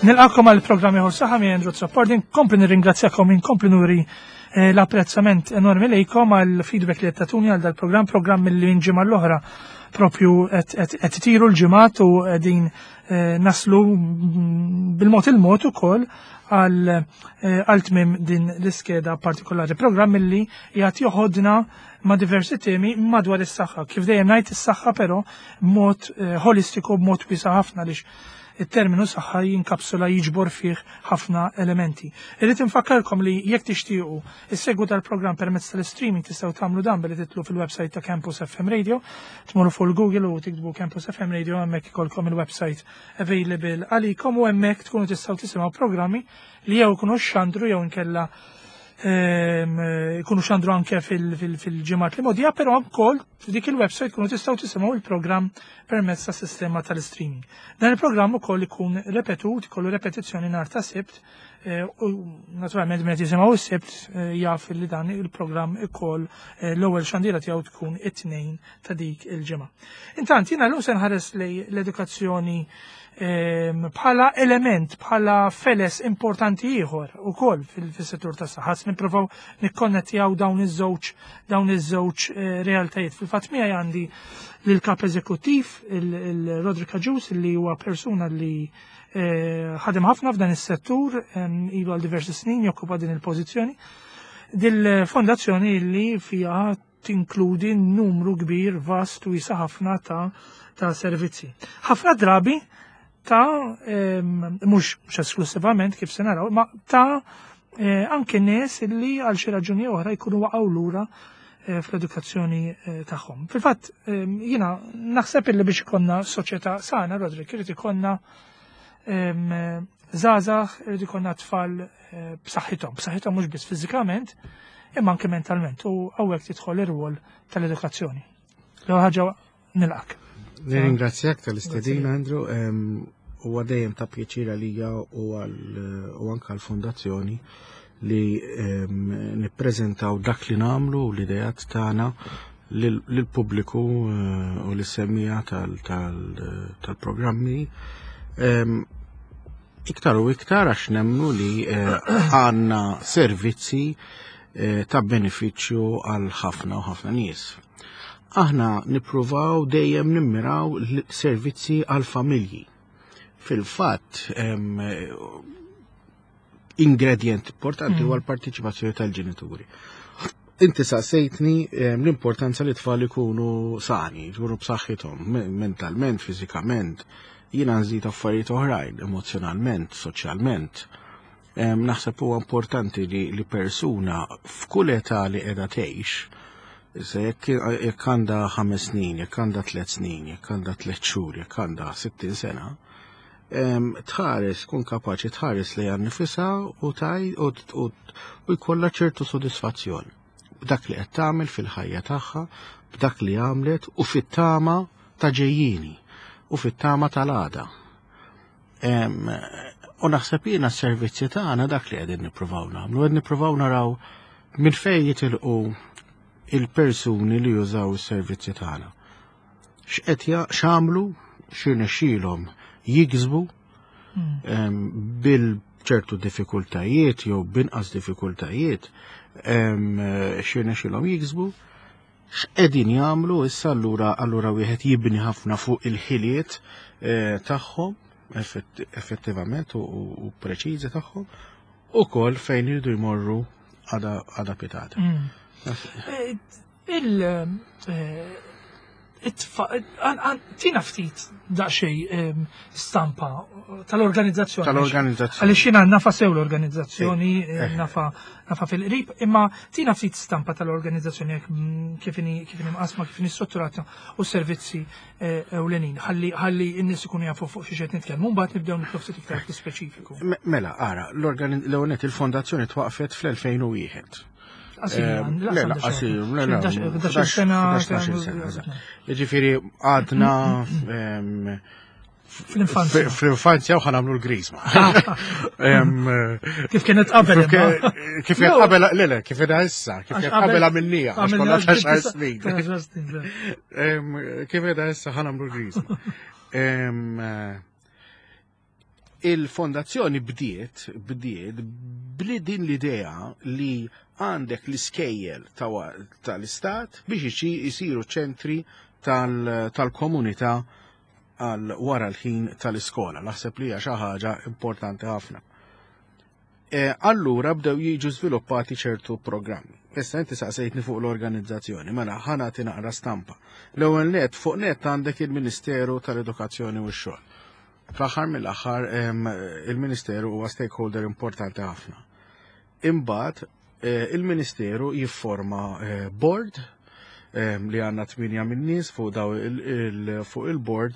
Nilqakom għal programm ieħor saħħa minn Andrew Azzopardi, nkompli nirringrazzjakom, inkompli nuri eh, l-apprezzament enormi lejkom għal feedback li qed tagħtuni għal dal-programm, programm li minn ġimgħa l-oħra propju qed itiru l-ġimgħat u qegħdin eh, naslu bil-mod il-mod ukoll għal eh, tmiem din l-iskeda partikolari. Programm li jgħat joħodna ma' diversi temi madwar is-saħħa. Kif dejjem ngħid is-saħħa però b'mod eh, holistiku b'mod wiesa' ħafna għaliex it-terminu saħħa jinkapsula jiġbor fih ħafna elementi. Irrid infakkarkom li jekk tixtiequ issegwu dal-programm permezz tal-streaming tistgħu tagħmlu dan billi titlu fil-website ta' Campus FM Radio, tmorru fuq Google u tiktbu Campus FM Radio hemmhekk ikolkom il-website available għalikom u hemmhekk tkunu tistgħu tisimgħu programmi li jew ikunu xandru jew inkella ehm, ikunu xandru anke fil-ġimgħat li modija, però wkoll f'dik il-website kunu tistgħu tisimgħu il-programm permezz ta' sistema tal-streaming. Dan il-programm ukoll ikun repetut, ikollu repetizzjoni nhar ta' Sibt, eh, u naturalment meta jisimgħu s-Sibt eh, jaf li dan il-programm ukoll eh, l-ewwel xandira tiegħu tkun it-tnejn ta' dik il-ġimgħa. Intant jiena llum se nħares lej l-edukazzjoni ehm, bħala element, bħala feles importanti ieħor ukoll fis-settur tas-saħħa. Nippruvaw nikkonnettjaw dawn iż-żewġ dawn iż-żewġ eh, realtajiet. Fil-fatt miegħi għandi lill-kap eżekuttiv il-Roderick Agius li huwa persuna li eh, ħadem ħafna f'dan is-settur ehm, ilu għal diversi snin jokkupa din il-pożizzjoni. Dil-fondazzjoni li fiha tinkludi numru kbir vast u wiesa' ħafna ta' ta' servizzi. Ħafna drabi ta' mhux esklusivament kif se naraw, ma ta' eh, anke nies li għal xi raġuni oħra jkunu waqgħu lura eh, fl-edukazzjoni eh, tagħhom. Fil-fatt jiena naħseb illi biex ikonna soċjetà sana, Roderick, irid ikonna żgħażagħ, irid ikonna tfal b'saħħithom, b'saħħithom mhux biss fiżikament, imma anke mentalment u hawnhekk tidħol ir-rwol tal-edukazzjoni. L-ewwel ħaġa nilqak. Nirringrazzjak tal-istedina, Andrew. Huwa dejjem ta' pjaċir għalija u anke għall-fondazzjoni li nippreżentaw dak li nagħmlu u l-idejat tagħna lill-pubbliku eh, u lis-semmiegħa tal-programmi. Iktar u iktar għax nemmnu li eh, għandna servizzi eh, ta' benefiċċju għal ħafna u ħafna nies. Aħna nippruvaw dejjem nimmiraw servizzi għal familji. Fil-fatt, ingredient importanti huwa mm. l-partiċipazzjoni tal-ġenituri. Inti saqsejtni l-importanza li tfal ikunu sani, ikunu b'saħħithom, mentalment, fiżikament, jiena nżid affarijiet oħrajn, emozjonalment, soċjalment. Naħseb huwa importanti li, li persuna f'kull età li qiegħda tgħix, issa jekk jekk għandha ħames snin, jekk għandha tliet snin, jekk għandha tliet xhur, jekk għandha 60 sena, tħares, tkun kapaċi tħares li nifisha u taj u jkollha ċertu sodisfazzjon b'dak li qed tagħmel fil-ħajja tagħha, b'dak li għamlet u fit-tama ta' ġejjini u fit-tama tal-għada. U naħseb jiena s-servizzi tagħna dak li qegħdin nippruvaw nagħmlu, qed nippruvaw naraw minn fejn jitilqu il-persuni li jużaw is-servizzi tagħna. X'qed x'għamlu, x'irnexxielhom jiksbu hmm. bil ċertu diffikultajiet jew binqas diffikultajiet x'irnexxielhom jiksbu x'qegħdin jagħmlu issa allura allura wieħed jibni ħafna fuq il-ħiliet eh, tagħhom effettivament u preċiżi tagħhom ukoll fejn iridu jmorru għada pitata. Eh, il eh, tina ftit daqsxejn ehm, stampa tal-organizzazzjoni. Tal-organizzazzjoni. Għaliex jiena nafa sew l-organizzazzjoni, eh, eh. nafa nafa fil-qrib, imma tina ftit stampa tal-organizzazzjoni mm, kif inhi kif inhi mqasma, kif inhi strutturata u servizzi eh, ewlenin. Ħalli ħalli n-nies ikunu jafu fuq xi qed nitkellmu, mbagħad nibdew nitlu ftit iktar fl-ispeċifiku. Mela, ara, l-ewwel il-fondazzjoni twaqfet fl-2001. Le, qasir, le, le, 11 sena. Ġifiri, għadna fl-infanzja. Fl-infanzja u ħanamlu l-grizma. Kif kienet qabel. Kif kienet qabel, le, le, kif kienet issa, kif kienet qabel għamilnija, għax kollha ta' xar snin. Kif kienet issa ħanamlu l-grizma. Il-fondazzjoni bdiet, bdiet bli din l-idea li għandek l-iskejjel tal-istat biex jisiru ċentri tal-komunità għal wara l-ħin tal-iskola. Naħseb li hija xi ħaġa importanti ħafna. E, allura bdew jiġu żviluppati ċertu programmi. Issa inti saqsejtni fuq l-organizzazzjoni, mela ħana naqra stampa. L-ewwel net fuq net għandek il-Ministeru tal-Edukazzjoni u x-Xogħol. Fl-aħħar mill-aħħar il-Ministeru huwa stakeholder importanti ħafna. Imbagħad eh, il-Ministeru jifforma eh, board li għandna tminja minn nies fuq daw fuq il-board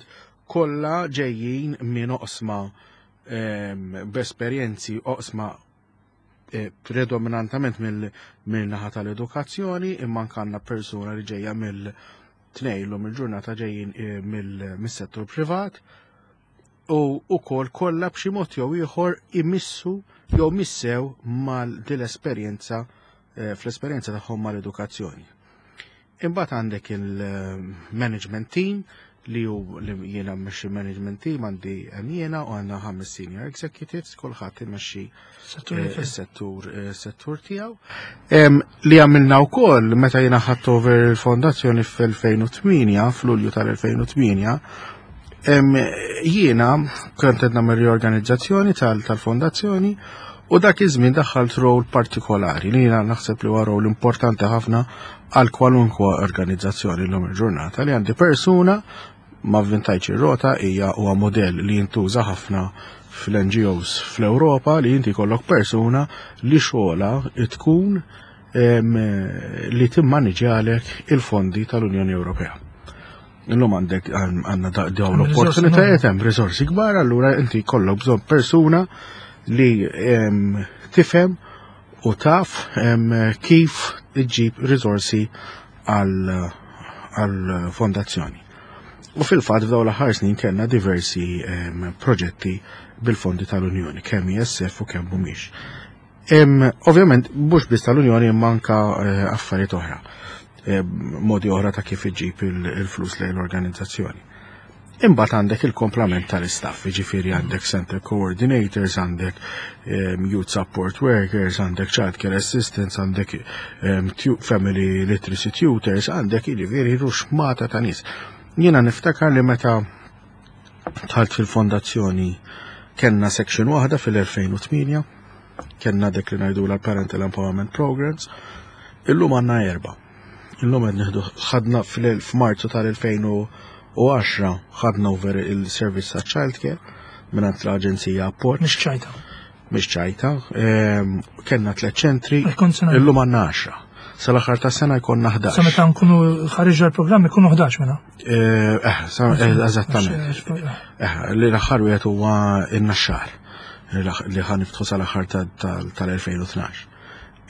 kollha ġejjin minn oqsma b'esperjenzi oqsma eh, predominantament mill-naħa tal-edukazzjoni imma għandna persuna li ġejja mill-tnejn l il-ġurnata ġejjin eh, mill-settur privat u ukoll kollha b'xi mod jew ieħor imissu jew missew mal din l-esperjenza eh, fl-esperjenza tagħhom mal-edukazzjoni. Imbagħad għandek il-management team li hu li jiena mmexxi management team għandi hemm jiena u għandna ħames senior executives, kulħadd imexxi is-settur eh, settur tiegħu. Li għamilna wkoll meta jiena ħadt over il-fondazzjoni fl-2008, f'Lulju tal-2008, jiena kont qed nagħmel riorganizzazzjoni tal-fondazzjoni u dak iż-żmien daħħalt rol partikolari li jiena naħseb li huwa rol importanti ħafna għal kwalunkwa organizzazzjoni l-lum il-ġurnata li għandi persuna ma vvintajtx ir-rota hija huwa modell li jintuża ħafna fl-NGOs fl-Ewropa li inti jkollok persuna li xogħla tkun li timmaniġjalek il-fondi tal-Unjoni Ewropea. Illum għandek għandna dawn l-opportunitajiet hemm riżorsi kbar, allura inti jkollok bżonn persuna li tifhem u taf kif iġġib riżorsi għal fondazzjoni. U fil-fatt f'dawn l-aħħar snin kellna diversi proġetti bil-fondi tal-Unjoni, kemm ISF u kemm mhumiex. Ovvjament, mhux biss tal-Unjoni imma anka eh, affarijiet oħra, modi oħra ta' kif iġib il-flus lejn l-organizzazzjoni. Imbagħad għandek il-komplament tal-istaff, jiġifieri għandek center coordinators, għandek youth support workers, għandek child care assistants, għandek family literacy tutors, għandek jiġifieri ruxmata ta' nies. Jiena niftakar li meta dħalt fil-fondazzjoni kellna section waħda fil-2008, kellna dik li ngħidu l-Parental Empowerment Programs, illum għandna erba'. Illum qed nieħdu ħadna f'Marzu tal-2010 ħadna over il-servizz ta' childcare mingħand l-Aġenzija Appoġġ. Mhix ċajta. Mhix ċajta. Kellna tliet ċentri, illum għandna 10. Sal-aħħar ta' sena jkollna 11. Sa meta nkunu ħariġna l-programm ikunu 11 mela. Eh, eh, eżattament. Eh, li l-aħħar wieħed huwa in-naxxar li ħa niftħu sal-aħħar tal-2012.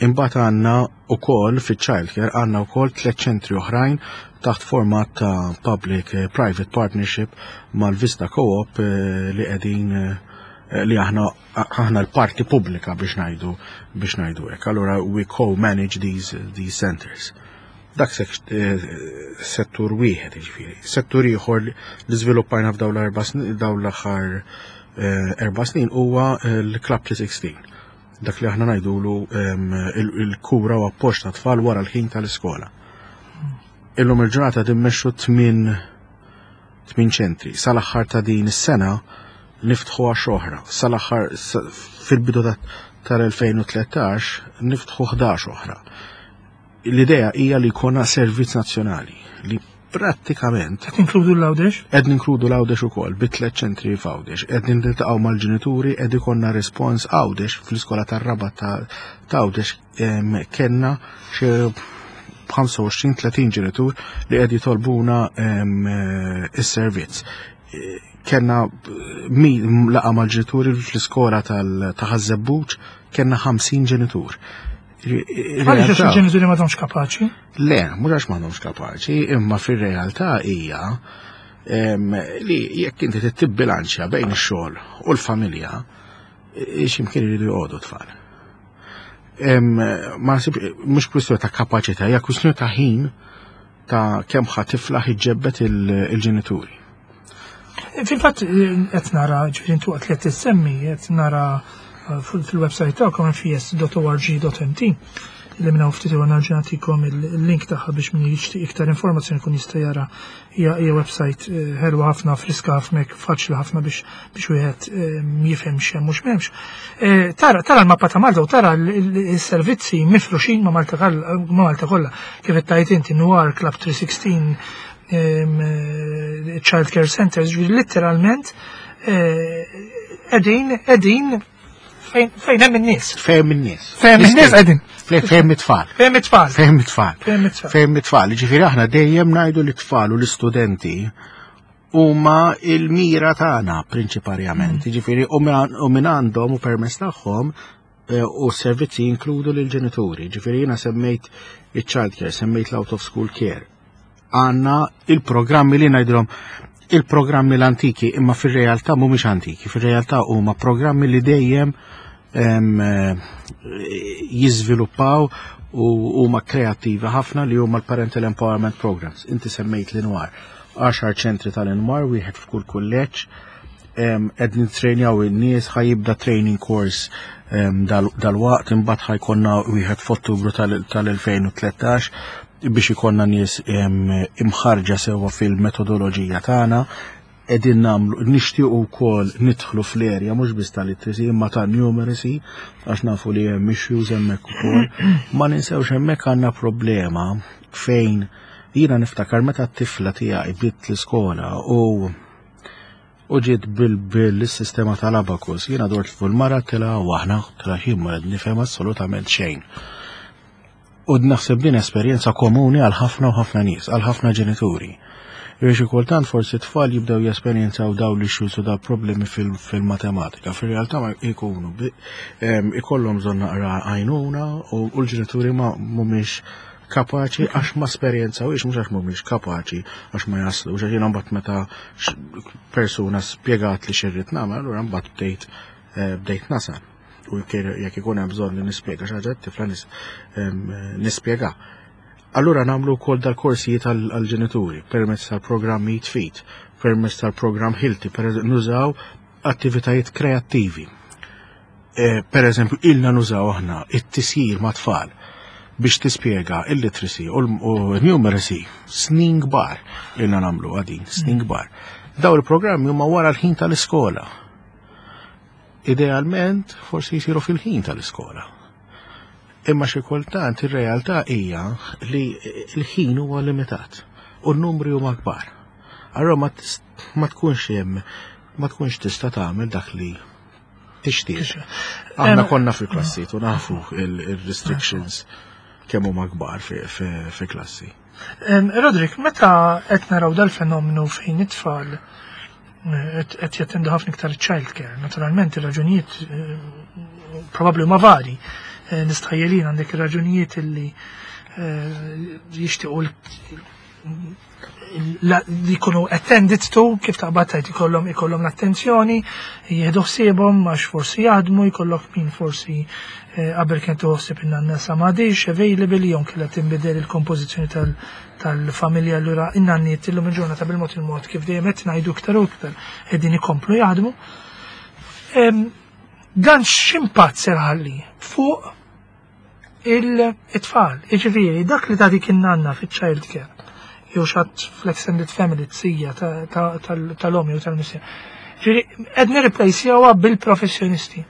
Imbagħad għandna wkoll fiċ-childcare għandna wkoll tliet ċentri oħrajn taħt format ta' public eh, private partnership mal-Vista Co-op eh, li qegħdin eh, li aħna aħna l-parti pubblika biex ngħidu biex ngħidu hekk. Allura we co-manage these, these centers. Dak settur wieħed jiġifieri. Settur ieħor li żviluppajna f'dawn l-erba' dawn l-aħħar erba' snin huwa l-Club 316 dak li aħna ngħidulu il-kura u appoġġ ta' tfal wara l-ħin tal-iskola. Illum il-ġurnata timmexxu tmien tmien ċentri. Sal-aħħar ta' din is-sena niftħu għax oħra. Sal-aħħar fil-bidu tal-2013 niftħu 11 oħra. L-idea hija li jkollna servizz nazzjonali li prattikament. Qed inkludu l-Għawdex? Qed ninkludu l-Għawdex ukoll bi tliet ċentri f'Għawdex. Qed niltaqgħu mal-ġenituri, qed ikollna respons Għawdex fl-iskola tar-Rabat ta' Għawdex kellna xi 25-30 ġenitur li qed jitolbuna is-servizz. Kellna laqa mal-ġenituri fl-iskola ta' Ħaż-Żebbuġ kellna 50 ġenitur. Għaliex għax il-ġenituri m'għadhomx kapaċi? Le, mhux għax m'għadhomx kapaċi, imma fir-realtà hija li jekk inti tibbilanċja bejn ix-xogħol u l-familja, x'imkien iridu joqogħdu tfal. Ma mhux kwistjoni ta' kapaċità, hija kwistjoni ta' ħin ta' kemm ħa tiflaħ iġġebbed il-ġenituri. Fil-fatt qed nara, ġifieri intu waqt li qed tissemmi, qed nara eh, fil-website tagħkom fs.org.mt li minna ftit u nerġa' nagħtikom il-link tagħha biex min jixtieq iktar informazzjoni kun jista' jara hija hija website eh, ħelwa ħafna, friska ħafna, faċli ħafna biex biex wieħed eh, jifhem x'hemm u x'm'hemmx. Eh, tara tara l-mappa ta' Malta u tara l-servizzi mifruxin ma' Malta ma' Malta kollha. Kif qed tgħid inti Noir Club 316 Child Care Centers, ġifieri letteralment qegħdin qegħdin fejn hemm in-nies. Fejn in-nies. Fejn in-nies qegħdin. Fejn it-tfal. Fejn it-tfal. Fejn it-tfal. Fejn it-tfal. Fejn it-tfal. Ġifieri aħna dejjem ngħidu l-tfal u l-istudenti huma il-mira tagħna prinċiparjament. Ġifieri u minn għandhom u permess tagħhom u s-servizzi jinkludu lil-ġenituri. Ġifieri jiena semmejt il-child care, semmejt l-out of school care. Għandna il-programmi li ngħidulhom il-programmi l-antiki, imma fir-realtà mhumiex antiki, fir-realtà huma programmi li dejjem jiżviluppaw u huma kreattivi ħafna li huma l-Parental Empowerment Programs. Inti semmejt l-Inwar. 10 ċentri tal-Inwar, wieħed f'kull kulleġġ, qed nittrejnjaw in-nies, ħa jibda training course dal-waqt, imbagħad ħa jkollna wieħed f'Ottubru tal-2013 biex ikollna nies imħarġa sewwa fil-metodoloġija tagħna. Qegħdin nagħmlu nixtiequ wkoll nidħlu fl-area mhux biss tal-literacy imma ta' numeracy għax nafu li hemm issues hemmhekk ukoll. Ma ninsewx hemmhekk għandna problema fejn jiena niftakar meta t-tifla tiegħi bdiet l-iskola u ġiet bil-sistema tal-abacus. Jiena dort fuq il-mara tila u aħna tila xi ma nifhem assolutament xejn. U naħseb din esperjenza komuni għal ħafna u ħafna nies, għal ħafna ġenituri. Biex kultant forsi tfal jibdew jesperjenzaw daw l-issues u daw problemi fil-matematika. Fil-realtà ma jkunu ikollhom bżonn naqra għajnuna u l-ġenituri ma mhumiex kapaċi għax ma esperjenzawhiex, mhux għax mhumiex kapaċi għax ma jaslu. Għax jiena mbagħad meta persuna spjegat li x'irrid nagħmel, allura mbagħad bdejt nasal. U jekk ikun hemm bżonn li nispjega xi ħaġa tifla nispjega. Allura nagħmlu wkoll dal-korsijiet għall-ġenituri permezz tal-programm Eat Fit, permezz tal-programm Hilti, per nużaw attivitajiet kreattivi. Per eżempju, ilna nużaw aħna it-tisjir ma' tfal biex tispjega il-literacy u numeracy snin kbar ilna nagħmlu għadin, snin kbar. Daw il-programmi huma wara l-ħin tal-iskola. Idealment forsi jisiru fil-ħin tal-iskola. Imma xi kultant ir-realtà hija li l-ħin huwa limitat u n-numri huma kbar. Allura ma tkunx hemm ma tkunx tista' tagħmel dak li tixtieq. Aħna konna fil-klassi u nafu il-restrictions kemm huma kbar fi klassi. Roderick, meta qed naraw dal-fenomenu fejn it-tfal qed jattendu ħafna iktar child care, naturalment ir-raġunijiet probabbli huma vari. Nistħajjelin għandek ir-raġunijiet illi jixtiequ li jkunu attended to, kif taqbad tajt ikollhom l-attenzjoni, jieħdu ħsiebhom għax forsi jaħdmu, jkollok min forsi qabel kien toħsib in-nanna sa m'għadix available jew kellha tinbidel il-kompożizzjoni tal-familja allura in-nanniet illum il-ġurnata bil-mod il-mod kif dejjem qed ngħidu iktar u iktar qegħdin ikomplu jaħdmu. Dan x'impatt ser ħalli fuq il-tfal, jiġifieri dak li tagħtik in-nanna fiċ-child care jew xatt fl-extended family tsija tal-om jew tal-missier. Ġifieri qed nirreplacejawha bil-professjonisti.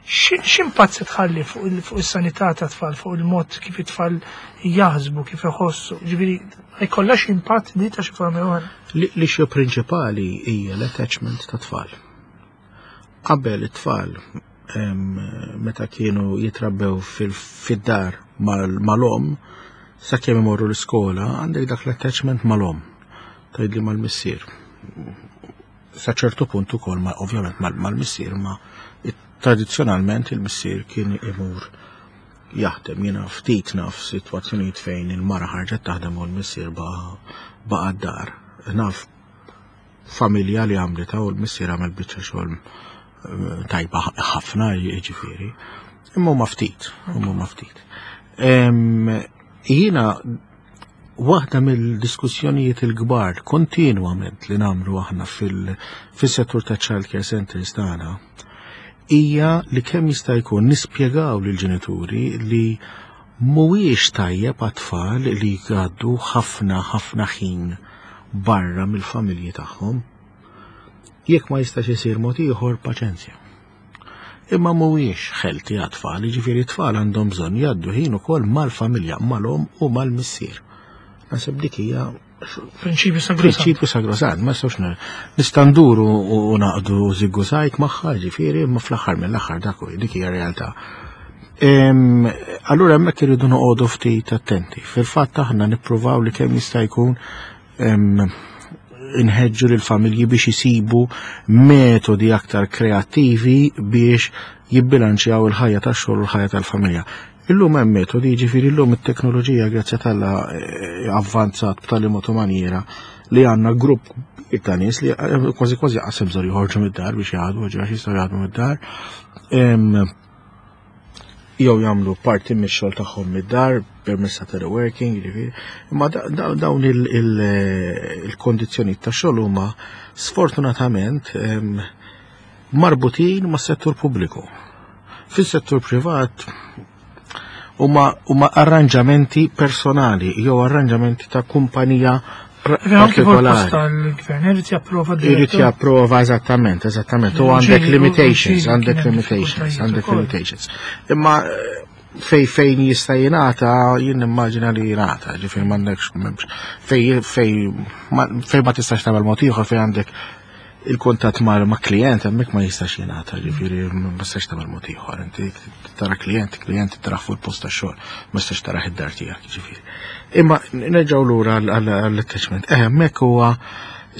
X'impatt se tħalli fuq is-sanità ta' tfal, fuq il-mod kif it-tfal jaħsbu, kif iħossu? Ġifieri jkollha impatt di ta' xi forma oħra. L-issue prinċipali hija l-attachment ta' tfal. Qabel it-tfal meta kienu jitrabbew fid-dar mal-om, sakemm imorru l-iskola, għandek dak l-attachment mal-om, tgħidli mal-missier. Sa ċertu punt ukoll ma ovvjament mal-missier, ma tradizzjonalment il-missier kien imur jaħdem. Jiena ftit naf sitwazzjonijiet fejn il-mara ħarġet taħdem u l-missier baqa' d-dar. Naf familja li għamlita u l-missier għamel biċċa xogħol tajba ħafna, jiġifieri. Imma huma ftit, huma ftit. Jiena waħda mill-diskussjonijiet il-kbar kontinwament li nagħmlu aħna fil-settur ta' child care centers tagħna hija li kemm jista' jkun nispjegaw lill-ġenituri li mhuwiex tajjeb għat-tfal li jgħaddu ħafna ħafna ħin barra mill-familji tagħhom. Jekk ma jistax isir mod ieħor, paċenzja. Imma mhuwiex healthy għat-tfal, jiġifieri t-tfal għandhom bżonn jgħaddu ħin ukoll mal-familja, mal-om u mal-missier. Naħseb dik hija prinċipju sagrosant. Prinċipju sagrosant, ma nistgħux nista' nduru u naqdu żiggu-sajk magħha, ġifieri, imma fl-aħħar mill-aħħar dak dik hija realtà. Allura hemmhekk irridu noqogħdu ftit attenti. Fil-fatt aħna nippruvaw li kemm jista' jkun inħeġġu lil familji biex isibu metodi aktar kreattivi biex jibbilanċjaw il-ħajja tax-xogħol u l-ħajja tal-familja. Illum hemm metodi, jiġifieri llum it-teknoloġija grazzi t'Alla avvanzat b'tali mod u maniera li għandna grupp ta' nies li kważi kważi qasem bżonn joħorġu mid-dar biex jaħdmu, ġi għax jistgħu jaħdmu mid-dar. Jew jagħmlu parti mix-xogħol tagħhom mid-dar permezz ta' teleworking, jiġifieri. Imma dawn il-kondizzjonijiet ta' xogħol huma sfortunatament marbutin mas-settur pubbliku. Fis-settur privat huma arranġamenti personali jew arranġamenti ta' kumpanija partikolari. Tal-gvern irid japprova Irid japprova eżattament, eżattament. U għandek limitations, għandek limitations, għandek limitations. Imma fejn jista' jingħata, jien nimmaġina li jingħata, ġifieri m'għandekx m'hemmx fej fej fejn ma tistax tagħmel mod ieħor fejn għandek il-kuntatt ma' klient hemmhekk ma jistax jingħata, ġifieri ma tistax tagħmel mod ieħor. Inti tara klient, klient tara fuq il-post tax-xogħol, ma tistax tara id-dar tiegħek, ġifieri. Imma nerġgħu lura għall-attachment. Hemmhekk huwa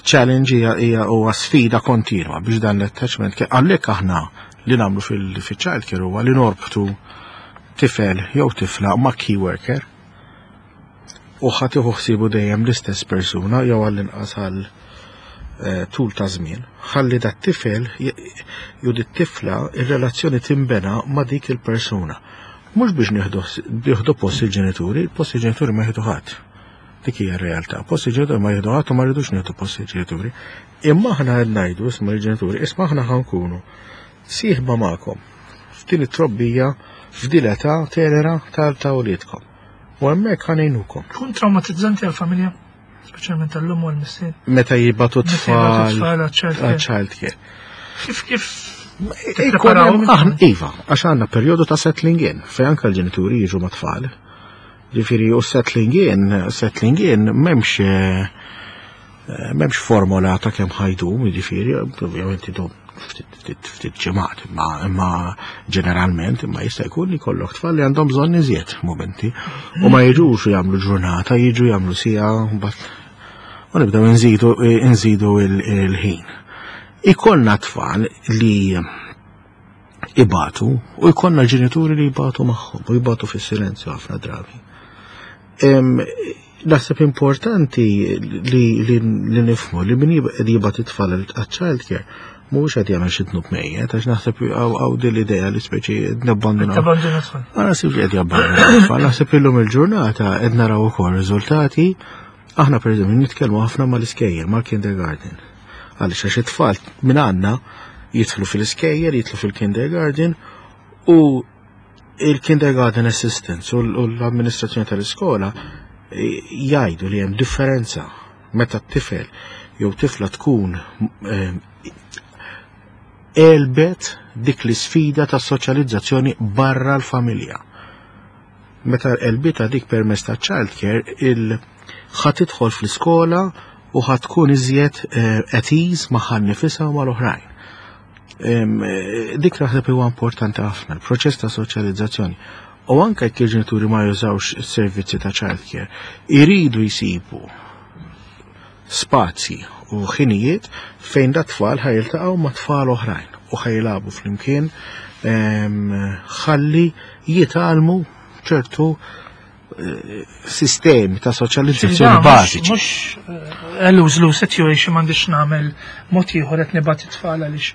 challenge hija huwa sfida kontinwa biex dan l-attachment għalhekk aħna li nagħmlu fil-child care huwa li norbtu tifel jew tifla ma' key worker u ħa tieħu ħsiebu dejjem l-istess persuna jew għall-inqas għal tul ta' żmien. Ħalli dat tifel jew dit tifla ir-relazzjoni timbena ma' dik il-persuna. Mhux biex nieħdu post il-ġenituri, post il-ġenituri ma jieħdu ħadd. Dik hija r-realtà. Post il-ġenituri ma jieħdu ħadd u ma rridux nieħdu post il-ġenituri. Imma aħna qed ngħidu isma' il-ġenituri, isma' aħna ħa nkunu sieħba magħkom f'din it-trobbija f'din l-età tenera ta' uliedkom. U hemmhekk ħa ngħinukom. Tkun traumatizzanti għall-familja, speċjalment tal-lum u l-missier. Meta jibagħtu Meta tfal jibagħtu tfal għal-child care. għal-child care. Kif kif tippreparaw Aħna, iva, għax għandna perjodu ta' settling in, fejn anke l-ġenituri jiġu ma' tfal. Ġifieri, u settling in, settling in, m'hemmx formola ta' kemm ħa jdum, ġifieri, ovvjament idum ftit ġimgħat, imma ġeneralment, imma jista' jkun li jkollok tfal li għandhom bżonn iżjed momenti. U ma jiġux jagħmlu ġurnata, jiġu jagħmlu siegħa, mbagħad u nibdew nżidu il-ħin. Ikollna tfal li ibatu u jkollna ġenituri li jibatu magħhom u jibatu fis-silenzju ħafna drabi. Naħseb importanti li nifhmu li min jibgħat it-tfal għal-child care mhuwiex qed jagħmel xi dnub mejjet, għax naħseb hawn din l-idea li speċi nabbandunaw. Tabbanduna tfal. Ma naħsibx li qed jabbandunaw tfal, naħseb illum il-ġurnata qed naraw ukoll riżultati. Aħna pereżempju nitkellmu ħafna mal-iskejjel, mal-kindergarten. Għaliex għax it-tfal minn għandna jidħlu fil-iskejjel, jidħlu fil-kindergarten u il-kindergarten assistants u l-amministrazzjoni tal-iskola jgħidu li hemm differenza meta t-tifel jew tifla tkun għelbet dik l-isfida ta' soċjalizzazzjoni barra l-familja. Meta għelbitha dik permezz ta' childcare, il ħa tidħol fl-iskola u ħa tkun iżjed at ease magħha nnifisha u mal-oħrajn. Dik naħseb huwa importanti ħafna, il-proċess ta' soċjalizzazzjoni. U anke jekk il-ġenituri ma jużawx is-servizzi ta' childcare, iridu jsibu spazji u ħinijiet fejn da tfal ħa jiltaqgħu ma' tfal oħrajn u ħa jilagħbu flimkien ħalli jitgħallmu ċertu sistemi ta' soċjalizzazzjoni bażiċi. Mhux lose-lose situation, m'għandix nagħmel mod ieħor, qed nibgħat it-tfal għaliex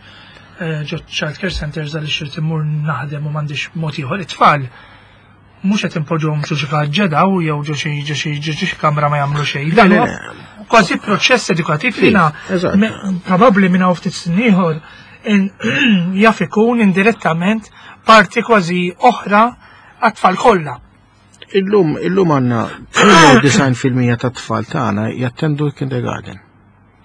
ġo child care centers għaliex irid immur naħdem u m'għandix mod ieħor. It-tfal mhux qed impoġġuhom ġo xi ġedaw jew ġo xi kamra ma jagħmlu xejn. Dan huwa kważi proċess edukattiv li probabbli minn hawn ftit snin ieħor jaf ikun indirettament parti kważi oħra għat-tfal kollha. Illum għandna 98% ta' tfal tagħna jattendu l-kindergarten.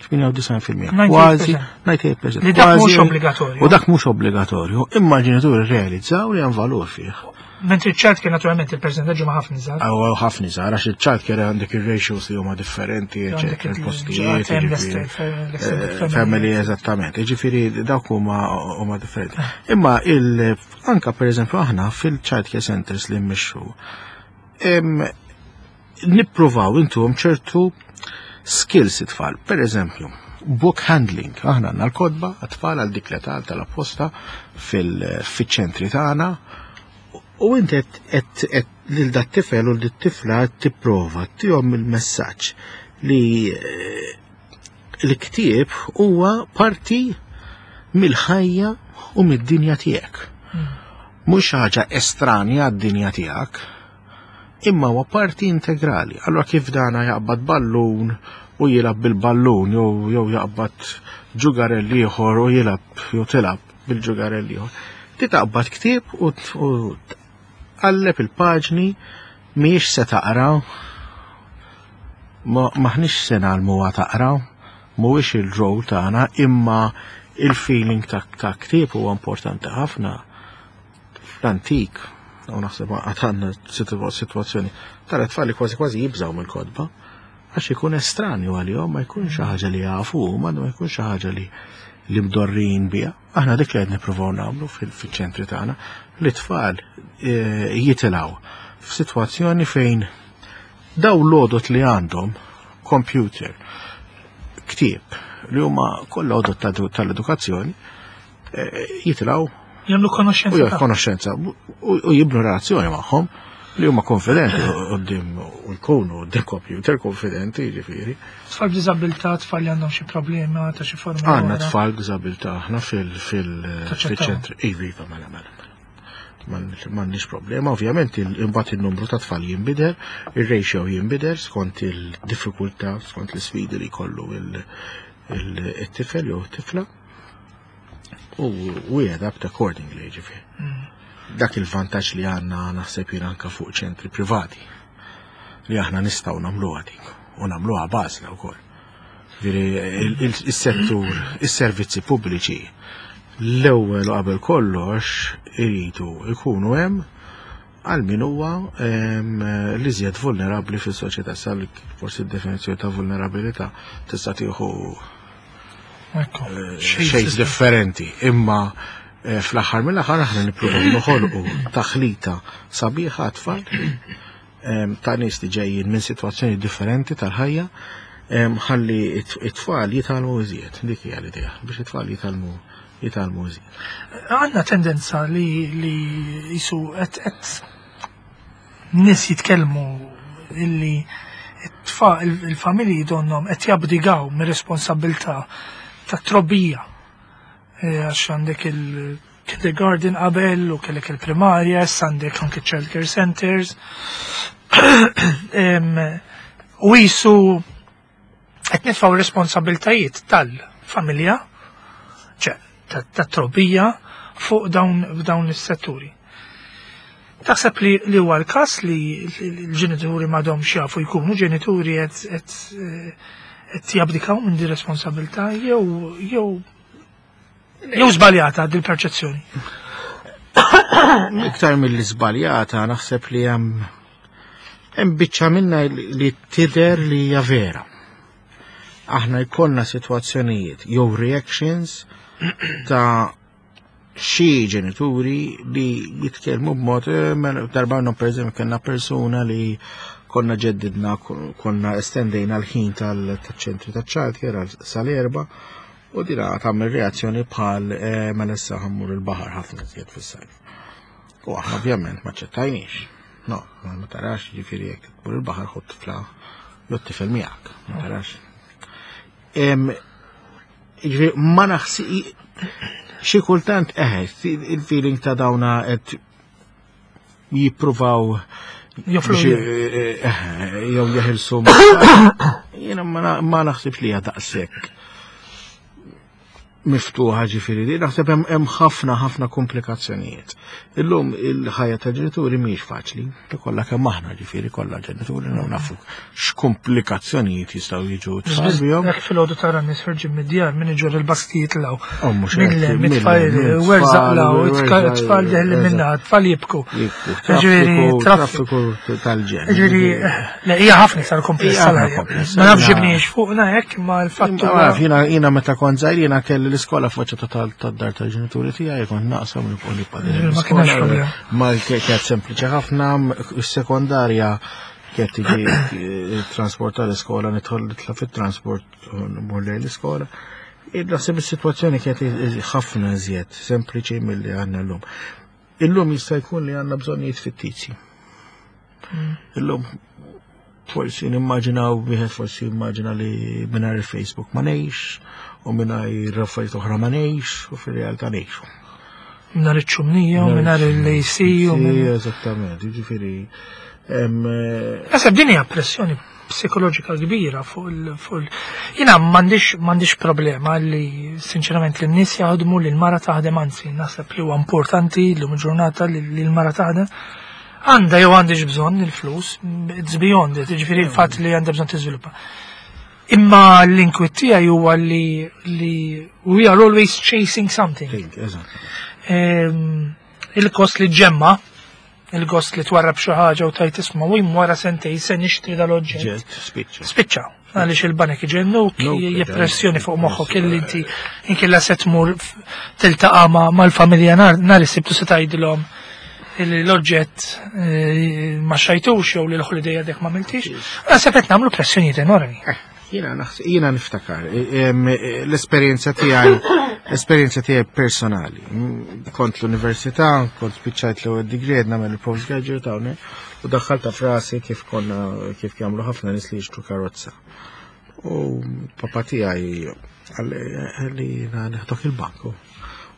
98%. Kważi 98%. Li dak mhux obbligatorju. U dak mhux obbligatorju, imma l-ġenituri realizzaw li hemm valur fih. Mentri ċ-child care naturalment il-percentaġġ ma ħafna żgħar. Aw ħafna żgħar għax il-child care għandek ir-ratios li huma differenti, eċetera, il-postijiet, family, eżattament. Ġifieri dawk huma differenti. Imma il anka pereżempju aħna fil-child care centers li mmexxu nippruvaw intuhom ċertu skills it-tfal. Per eżempju, book handling. Aħna għandna l-kotba għat-tfal għal dik l-età tal-apposta fil-ċentri tagħna. U inti qed lil dat tifel u dit-tifla tipprova tihom il-messaġġ li l-ktieb huwa parti mill-ħajja u mid-dinja tiegħek. Mhux ħaġa estranja għad-dinja tiegħek, imma huwa parti integrali. Allora kif dana jaqbad ballun u jilgħab bil-ballun jew jaqbad ġugarell ieħor u jilgħab jew tilgħab bil-ġugarell ieħor. Ti taqbad ktieb u tqalleb il-paġni, mhijiex se taqra, maħniex se ngħallmuha taqra, mhuwiex il-rol tagħna, imma il-feeling ta' ktieb huwa importanti ħafna. Fl-antik, u naħseb għandna situazzjoni, tara tfal li kważi kważi jibżaw mill-kotba, għax ikun estranju għalihom, ma jkunx xi ħaġa li jafu, ma jkunx xi ħaġa li mdorrin biha. Aħna dik li qed nippruvaw nagħmlu fil-ċentri tagħna, li tfal jitilgħu f'sitwazzjoni fejn daw l-għodot li għandhom, computer, ktieb, li huma kollha għodot tal-edukazzjoni, jitilgħu Jagħmlu konoxxenza. U konoxxenza u jibnu relazzjoni magħhom li huma konfidenti quddiem u jkunu quddiem computer konfidenti, jiġifieri. Tfal b'diżabilità, tfal li għandhom xi problema ta' xi forma. Għandna tfal b'diżabilità aħna fil-ċentru. Iva, mela, mela, mela. M'għandniex problema, ovvjament imbagħad il-numru ta' tfal jinbidel, ir-ratio jinbidel skont il-diffikultà, skont l-isfidi li jkollu il-tifel jew it-tifla. U we adapt accordingly, ġifieri. Dak il-vantaġġ li għandna naħseb jien anka fuq ċentri privati li aħna nistgħu nagħmluha dik u nagħmluha b'għażla wkoll. Ġifieri is-settur, is-servizzi pubbliċi l-ewwel u qabel kollox iridu jkunu hemm għal min huwa l-iżjed vulnerabbli fis-soċjetà. Sal forsi d-definizzjoni ta' vulnerabilità tista' tieħu shades differenti, imma fl-aħħar mill-aħħar aħna nippruvaw noħolqu taħlita sabiħa tfal ta' nies li ġejjin minn sitwazzjoni differenti tal-ħajja, ħalli it-tfal jitgħallmu iżjed. Dik hija l-idea, biex it-tfal jitgħallmu iżjed. Għandna tendenza li jisu qed nies jitkellmu illi il-familji donnom qed jabdigaw mir-responsabilità ta' trobbija. Għax għandek il-kindergarten qabel u kellek il-primarja, issa għandek anke child care centers. U jisu qed nitfgħu responsabiltajiet tal-familja, ċe tat-trobbija fuq dawn is-setturi. Taħseb li huwa l-każ li l-ġenituri m'għadhomx jafu jkunu ġenituri, qed jabdikaw minn di responsabilità jew Jew żbaljata din perċezzjoni. Iktar mill żbaljata naħseb li hemm hemm biċċa minna li tidher li hija vera. Aħna jkollna sitwazzjonijiet jew reactions ta' xi ġenituri li jitkellmu b'mod eh, mela, darba minnhom pereżempju kellna persuna li konna ġeddidna konna estendejna l-ħin tal-ċentri taċ-childcare sal-erba u dina tagħmel reazzjoni bħal eh, mela issa ħammur il-baħar ħafna iżjed fis-sajf. U aħna ovvjament ma ċettajniex. No, ma tarax ġifieri jekk tmur il-baħar ħodd tifla jew tifel miegħek, ma tarax. Ġifieri ma naħsi xi kultant eħe il-feeling ta' dawna qed jippruvaw eh, eh, jew jeħilsu jiena ma naħsibx li hija daqshekk miftuħa ġifieri li naħseb hemm ħafna ħafna komplikazzjonijiet. Illum il-ħajja ta' ġenituri mhijiex faċli, kollha kemm aħna ġifieri kollha ġenituri nafu x'komplikazzjonijiet jistgħu jiġu tfal bihom. Jekk filgħodu tara nies ħerġin mid-djar min iġor il-baskijiet law. Oh, minn mit-tfal werżaq law, tfal deħli minna, tfal jibku. Ġifieri traffiku tal-ġen. Ġifieri le hija ħafna iktar komplessa l-ħajja. Ma nafx ġibniex fuqna hekk ma l-fatt. Ma naf jiena jiena meta kont żgħir jiena kelli l-iskola faċċata tad-dar tal-ġenituri tiegħi kont naqsam nibqa' nibqa' Ma kienx problema. Ma kienet sempliċi ħafna, is-sekondarja Kienet tiġi eh, transport tal-iskola, nidħol nitla fit-transport u nmur lejn l-iskola. Naħseb is-sitwazzjoni kienet ħafna iżjed sempliċi milli għandna llum. Illum jista' jkun li għandna bżonnijiet fittizji. Hmm. Illum forsi nimmaġinaw wieħed forsi jimmaġina li mingħajr il-Facebook ma ngħix u mingħajr affarijiet oħra ma ngħix u fir-realtà ngħixu. Mingħajr iċ-ċumnija u mingħajr il-AC u Eżattament, jiġifieri. Eh, Naħseb din hija pressjoni psikoloġika kbira fuq il fuq il jiena m'għandix m'għandix problema li sinċerament li n-nies jaħdmu li l-mara taħdem anzi naħseb li huwa importanti llum il-ġurnata li l-mara taħdem. Għandha jew għandix bżonn il-flus, it's beyond it, jiġifieri l-fatt li għandha bżonn tiżviluppa. Imma l-inkwiet tiegħi huwa li li we are always chasing something. Ehm, il-kost li ġemma, il-gost li twarrab xi ħaġa u tajt isma' u wara sentej se nixtri dal-oġġett. Spiċċa. Spiċċa. Għaliex il-banek iġennuk, pressjoni fuq moħħok illi inti inkella se tmur tiltaqa' mal-familja nhar is-sibtu se tgħidilhom l-oġġett eh, ma xajtux jew li l-holiday għadek ma miltix, naħseb qed nagħmlu pressjonijiet enormi. Eh, jiena niftakar, eh, l-esperjenza tiegħi l-esperjenza tiegħi personali. Mm, kont l-università, kont spiċċajt l-ewwel degree qed nagħmel il-postgraduate hawnhekk u daħħalta frasi kif konna kif jagħmlu ħafna nies li jixtru karozza. U papa tiegħi għalli neħdok il-banku.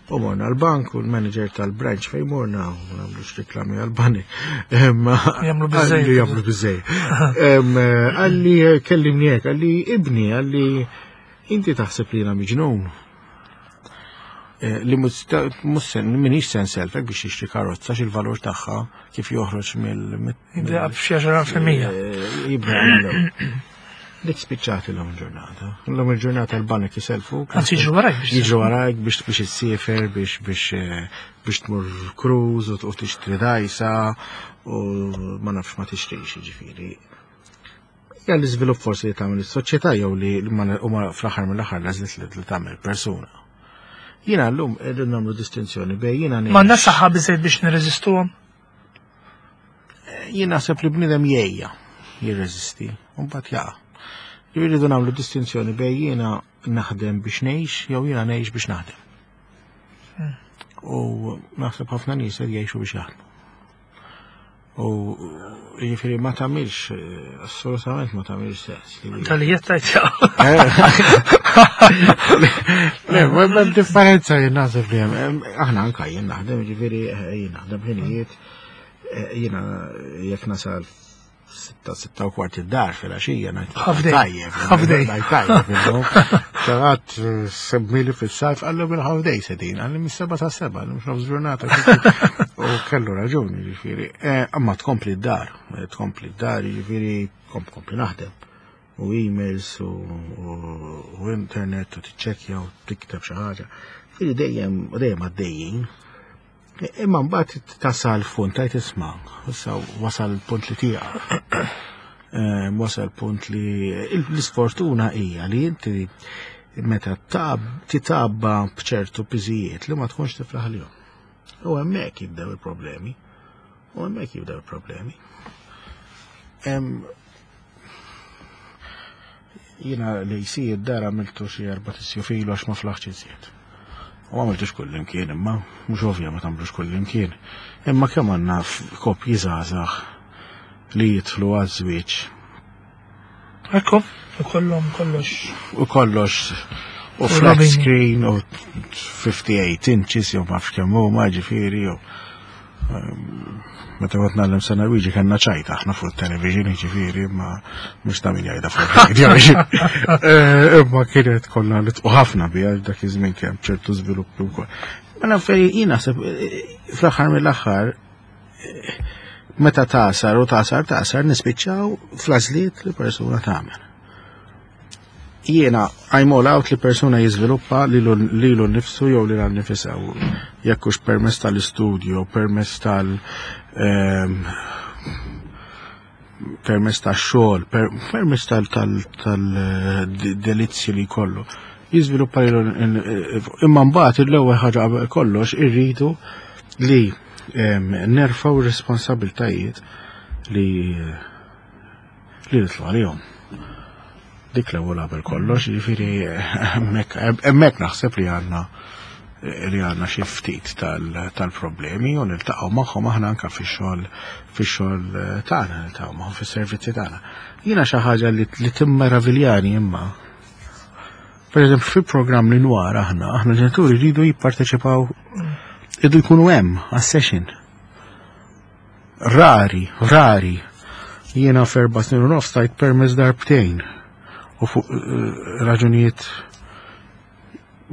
U morna l-bank u l-manager tal-branch fej morna, u nagħmlux reklami għal-banek. Jagħmlu biżejjed. Jagħmlu biżejjed. Għalli kellimni hekk, għalli ibni, għalli inti taħseb li jiena miġnun. Eh, li mussen minix sen selfek biex jixtri karozza xil-valur tagħha kif joħroġ mill Jibda b'xi 10%. Eh, jibda Dik spiċċat l-lum ġurnata. L-lum il-ġurnata l-banek jiselfu. Anzi jiġru warajk biex. Jiġru warajk biex biex issiefer, biex biex eh, biex tmur cruise u tixtri dajsa u ma nafx ma tixtrix ġifieri. Ja l-iżvilupp forsi li tagħmel is-soċjetà jew li huma fl-aħħar mill-aħħar l-għażliet li tagħmel persuna. Jiena llum irrid nagħmlu distinzjoni bejn jiena Ma saħħa biżejjed biex nirreżistuhom? Jien naħseb li bniedem jgħejja jirreżisti, u mbagħad jaqa'. Irridu nagħmlu distinzjoni bejn jiena naħdem biex ngħix jew jiena ngħix biex naħdem. Hmm. U naħseb ħafna nies qed jgħixu biex jaħdmu. U jiġifieri ma tagħmilx, assolutament ma tagħmilx sens. Tal-li jettajt Le, ma differenza jien naħseb li hemm. Aħna anka jien naħdem, jiġifieri eh, jien naħdem ħinijiet, eh, jiena jekk nasal sitta, sitta u kwart id-dar fil-għaxija ngħid tajjeb. Ħafdej. Tajjeb. Xaħat eh, semmili fis-sajf għallu minn ħafdej sedin, għalli mis-seba sa' seba, mhux nofs ġurnata. U kellu raġuni, ġifieri. Amma tkompli d-dar, tkompli d-dar, ġifieri kompli naħdem. U emails u internet u tiċċekkja u tikteb xi ħaġa. Ġifieri dejjem dejjem għaddejjin. Imma mbagħad tasal punt tajt isma' issa wasal punt li tiegħek. Wasal punt li l-isfortuna hija li inti meta titabba b'ċertu piżijiet li ma tkunx tiflaħ lihom. U hemmhekk jibdew il-problemi. U hemmhekk jibdew il-problemi. Jiena li jsir dar għamiltu xi 4 filu għax ma flaħx iżjed. U għamiltux kull imkien imma, mhux ovvja ma tagħmlux kull imkien. Imma kemm għandna koppji żgħażagħ li jidħlu għaż-żwieġ. Ekku, u kollhom kollox. U kollox u flat screen u 58 inches jew ma nafx kemm huma ġifieri jew meta kont ngħallem sena Luigi kellna ċajta aħna fuq television ġifieri ma mhux ta' min jgħidha fuq radio. Imma kienet konna nitqu ħafna biha dak iż-żmien kemm ċertu żviluppi wkoll. Mela fejn jien naħseb fl-aħħar mill-aħħar meta tasar u tasar tasar nispiċċaw fl-għażliet li persuna tagħmel. Jiena I'm all out li persuna jiżviluppa lilu nnifsu jew lilha nnifisha jekk hux permezz tal-istudju, permezz tal permezz tax-xogħol, permezz tal-delizzji li jkollu. Jiżviluppa lilu imma mbagħad l-ewwel ħaġa qabel kollox irridu li nerfgħu r-responsabbiltajiet li nitlu għalihom. Dik l-ewwel qabel kollox, jiġifieri hemmhekk naħseb li għandna li għandna xi ftit tal-problemi u niltaqgħu magħhom aħna anke fix-xogħol fix-xogħol tagħna, niltaqgħu magħhom fis-servizzi tagħna. Jiena xi ħaġa li timmeraviljani imma. Per eżempju, fil-programm li nwar aħna, aħna ġenituri rridu jipparteċipaw, rridu jkunu hemm għas-session. Rari, rari. Jiena f'erba' snin u nofs tajt permess darbtejn u fuq raġunijiet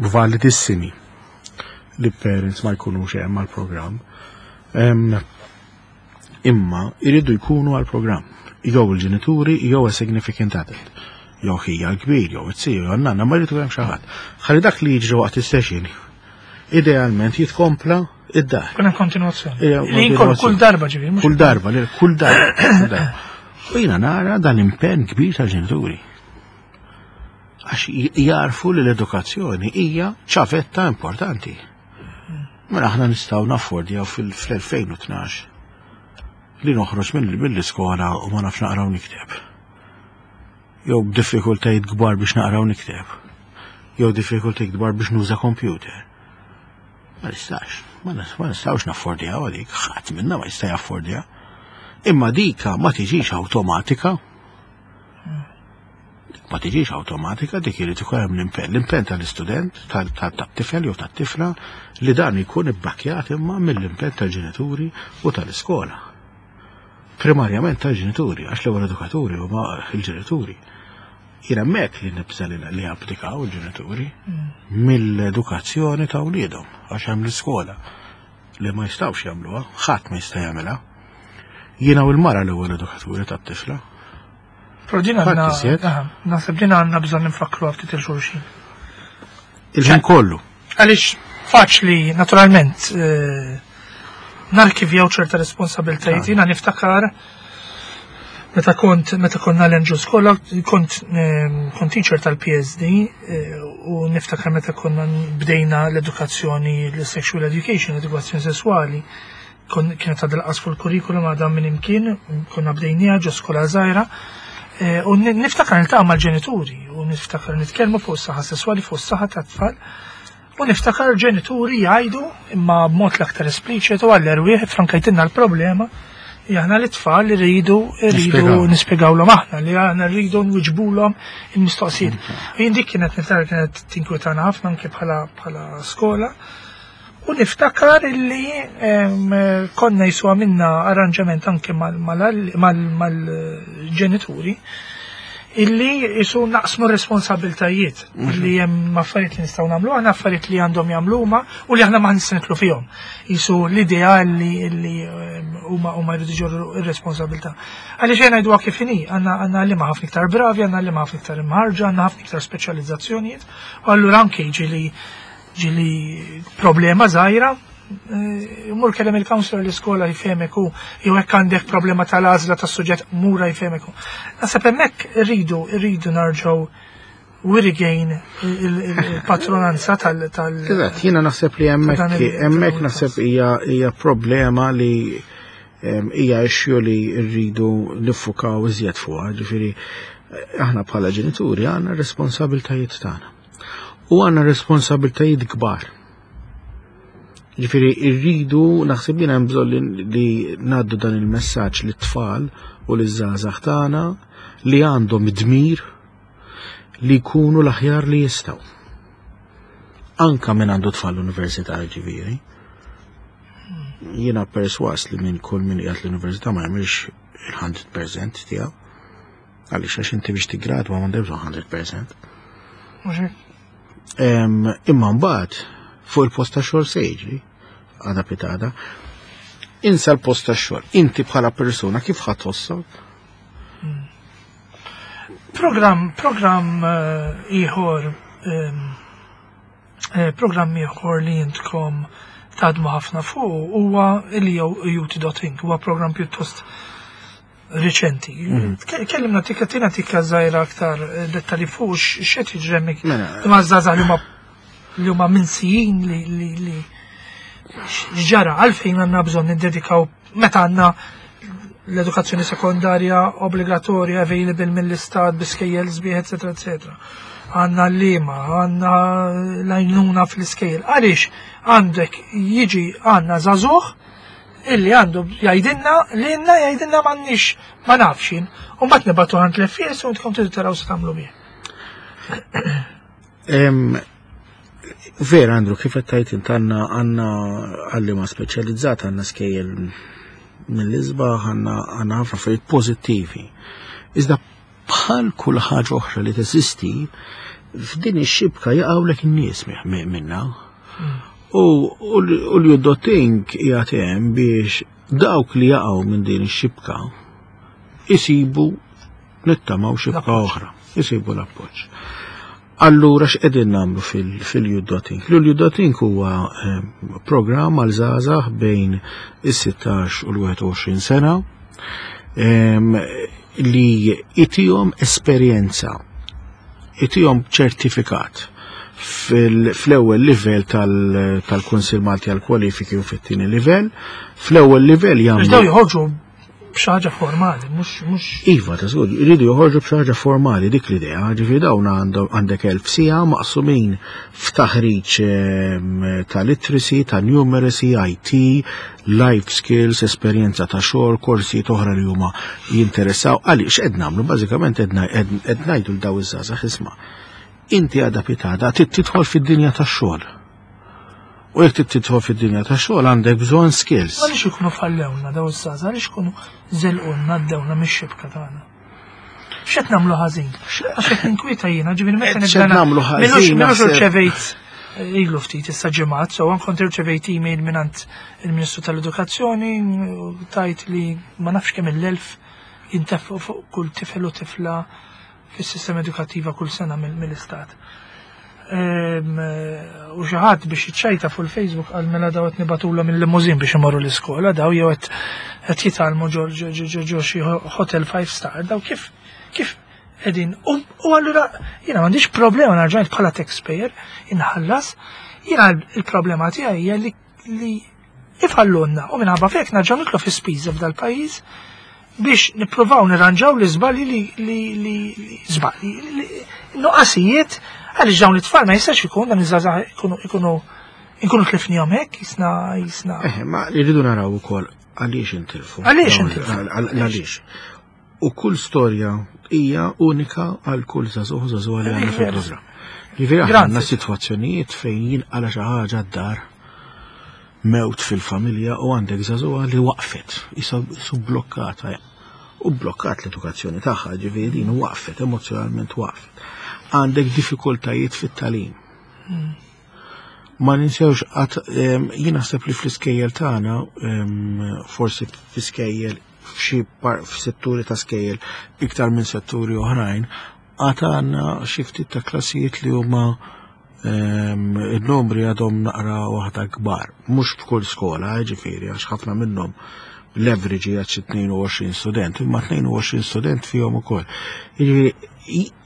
validissimi li parents ma jkunux hemm għall-programm. Imma jridu jkunu għall-programm. Jew il-ġenituri jew a significant adult. Jew ħija l-kbir, jew it-siju, jew n-nanna, ma jridu hemm xi ħadd. Ħalli dak li jiġri waqt is-session idealment jitkompla id-dar. Kuna kontinuazzjoni. Li kull darba ġifieri, mhux Kull darba, li kull darba, kull darba. U jiena nara dan impenn kbir tal-ġenituri. Għax jarfu li l-edukazzjoni hija ċavetta importanti. Mela aħna nistgħu naffordjaw fl-2012 li noħroġ mill-iskola u ma nafx naqra u nikteb. Jew b'diffikultajiet kbar biex naqra u nikteb. Jew diffikultajiet kbar biex nuża computer. Ma nistax, ma nistgħux naffordjaw għalik, ħadd minna ma jista' jaffordja. Imma dika ma tiġix awtomatika. Dik ma tiġix awtomatika, dik irid ikun hemm l-impenn. L-impenn tal-istudent, tat-tifel jew tat-tifla li dan ikun ibbakkjat imma mill-impenn tal-ġenituri u tal-iskola. Primarjament tal-ġenituri, għax l-ewwel edukaturi huma l-ġenituri. Jien hemmhekk li nibża li applikaw il-ġenituri mill-edukazzjoni ta' wliedhom, għax hemm l-iskola li ma jistgħux jagħmluha, ħadd ma jista' jagħmilha. Jiena u l-mara l-ewwel edukaturi tat-tifla. Però din Ħadd għandna, iżjed. aha, naħseb din għandna bżonn nfakru ftit il-xulxin. Il-ħin kollu. Għaliex faċli, naturalment, narkivjaw ċerta responsabiltajiet. Jiena niftakar meta konna l-Angel Skola, kont teacher tal-PSD, u niftakar meta konna bdejna l-edukazzjoni, l-sexual education, l-edukazzjoni sessuali, kienet għadha l-qas fuq il-kurrikulum għadha minn imkien, konna bdejniha ġo skola żgħira, u niftakar niltaqa' mal-ġenituri, u niftakar nitkellmu fuq is-saħħa sesswali, fuq is-saħħa tat-tfal, u niftakar ġenituri jgħidu imma b'mod l-aktar espliċitu għall-erwieħ frankajtinna l-problema, aħna l-tfal li rridu Nispjegaw. nispjegawlhom aħna, li aħna rridu nwiġbulhom il-mistoqsijiet. U jien dik kienet niftakar kienet tinkwetana ħafna anke bħala skola. U niftakar illi konna jiswa minna arranġament anke mal-ġenituri. illi jisu naqsmu responsabiltajiet li hemm affarijiet li nistgħu nagħmlu, aħna affarijiet li għandhom jagħmlu huma u li aħna ma nistgħu fihom. Jisu l-idea li huma huma jridu jġorru ir-responsabilità. Għaliex jien ngħiduha kif inhi, għandna għandna li ma ħafna iktar bravi, għandna li ma ħafna iktar imħarġa, għandna ħafna iktar speċjalizzazzjonijiet, u allura anke ġieli ġieli problema żgħira, eh, mur kellem il-counselor l-iskola jfehmek u jew hekk għandek problema tal-għażla tas-suġġett mura jfehmek u. Naħseb hemmhekk irridu irridu narġgħu we regain il-patronanza tal tal Eżatt, jiena naħseb li hemmhekk hemmhekk naħseb hija problema li hija issue li rridu niffukaw iżjed fuqha, ġifieri aħna bħala ġenituri għandna responsabiltajiet tagħna. U għandna responsabiltajiet kbar. Ġifieri rridu naħseb jiena hemm bżonn li ngħaddu dan il-messaġġ lit-tfal u liż-żgħażagħ tagħna li għandhom dmir li jkunu l-aħjar li jistgħu. Anka minn għandu tfal l-università ġifieri. Jiena perswas li minn kull min qiegħed l-università ma jagħmilx il-100% tiegħu. Għaliex għax inti biex tiggradwa m'għandek bżonn 100%. Imma mbagħad fuq il-post ta' xogħol se jiġri għada pitada. Insa l-post ta' xogħol. Inti bħala persuna kif ħadd tħossok? Program, program eh, ieħor eh, program ieħor li jintkom taħdmu ħafna fuq huwa il-UT.inc, huwa program pjuttost riċenti. Mm. Kellimna tikka tina tikka żgħira aktar eh, dettali fuq x'qed jiġri hemmhekk. Mela. Imma żgħażagħ li huma li huma minsijin li li li x'ġara għalfejn għandna bżonn niddedikaw meta għandna l-edukazzjoni sekondarja obbligatorja available mill-istat biskejjel sbieħ, eccetera, eccetera. Għanna l-lima, għanna l-għajnuna fl-iskejjel. Għaliex għandek jiġi għanna zazuħ illi għandu jgħidilna li għandna jgħidilna m'għandniex ma nafx jien. U mbagħad nibgħatu għand l-FS u intkom tridu taraw se tagħmlu bih. Vera, Andrew, kif qed tgħid int għandna għandna għalliema speċjalizzata, għandna skejjel mill-isbaħ, għandna għandna ħafna affarijiet pożittivi. Iżda bħal kull ħaġa oħra li teżisti, f'din ix-xibka jaqgħulek in-nies minna. U l-juddotink qiegħed hemm biex dawk li jaqgħu minn din ix-xibka isibu nittamaw xibka oħra, isibu l-appoġġ. Allura x'qegħdin nagħmlu fil-Juddotink? L-Juddotink huwa eh, programm għal żgħażagħ bejn is-16 u l-21 sena li itihom esperjenza, itihom ċertifikat fl-ewwel livell tal-Kunsil Malti għal kwalifiki u fit-tieni livell. Fl-ewwel livell jagħmlu. Daw joħorġu b'xi ħaġa formali, mhux mhux. Iva, ta' żgur, jridu joħorġu b'xi ħaġa formali dik l-idea, ġifieri dawn għandhom għandek elf siegħa maqsumin f'taħriġ ehm, ta' literacy, ta' numeracy, IT, life skills, esperjenza ta' xogħol, korsijiet oħra li huma jinteressaw. Għaliex qed nagħmlu bażikament qed ngħidu l daw iż-żgħażagħ isma' inti għada pitada tidħol fid-dinja tax-xogħol. U jekk trid tidħol fid-dinja tax-xogħol għandek bżonn skills. Għaliex ikunu fallewna daw iż-żgħażagħ, għaliex ikunu żelqulna għaddewna mix-xibka tagħna. X'qed nagħmlu ħażin? Għax qed ninkwieta jiena, ġifieri meta nibda nagħmlu ħażin. Milux irċevejt eh, ilu ftit issa ġimgħat, so kont irċevejt email mingħand il-Ministru tal-Edukazzjoni tajt li ma nafx kemm il-elf jintefqu fuq kull tifel u tifla fis-sistema edukattiva kull sena mill-istat. Ehm, u xi ħadd biex jiċċajta fuq il-Facebook qal mela daw qed nibatulhom il-limuzin biex imorru l-iskola daw jew qed jitgħallmu ġo xi hotel five star daw kif kif qegħdin u allura jiena m'għandix problema narġajt bħala taxpayer inħallas jiena il-problema tiegħi hija li li ifallunna u minħabba fek narġgħu nitlu fi spiża f'dal-pajjiż biex nippruvaw nirranġaw li żbalji li li li żbalji nuqqasijiet għaliex dawn it-tfal ma jistax ikun dan iż-żgħażagħ ikunu ikunu inkunu tlifnihom hekk jisna jisna. Eh, ma rridu naraw ukoll għaliex intilfu. Għaliex intilfu. Għaliex. U kull storja hija unika għal kull żagħżugħ żagħżugħa li għandna fil-programm. Ġifieri aħna għandna sitwazzjonijiet fejn jinqala xi ħaġa d-dar mewt fil-familja u għandek żagħżugħa li waqfet, isu blokkata. U blokkat l-edukazzjoni tagħha, ġifieri din waqfet, emozjonalment waqfet. Għandek diffikultajiet fit-tagħlim. Ma ninsewx qatt jien naħseb li fl-iskejjel tagħna forsi fl-iskejjel f'xi f'setturi ta' skejjel iktar minn setturi oħrajn, għad għandna xi ftit ta' klassijiet li huma il-numri għadhom naqra waħda kbar. Mhux f'kull skola, ġifieri, għax ħafna minnhom l-average hija xi 22 student, imma 22 student fihom ukoll. Jiġifieri,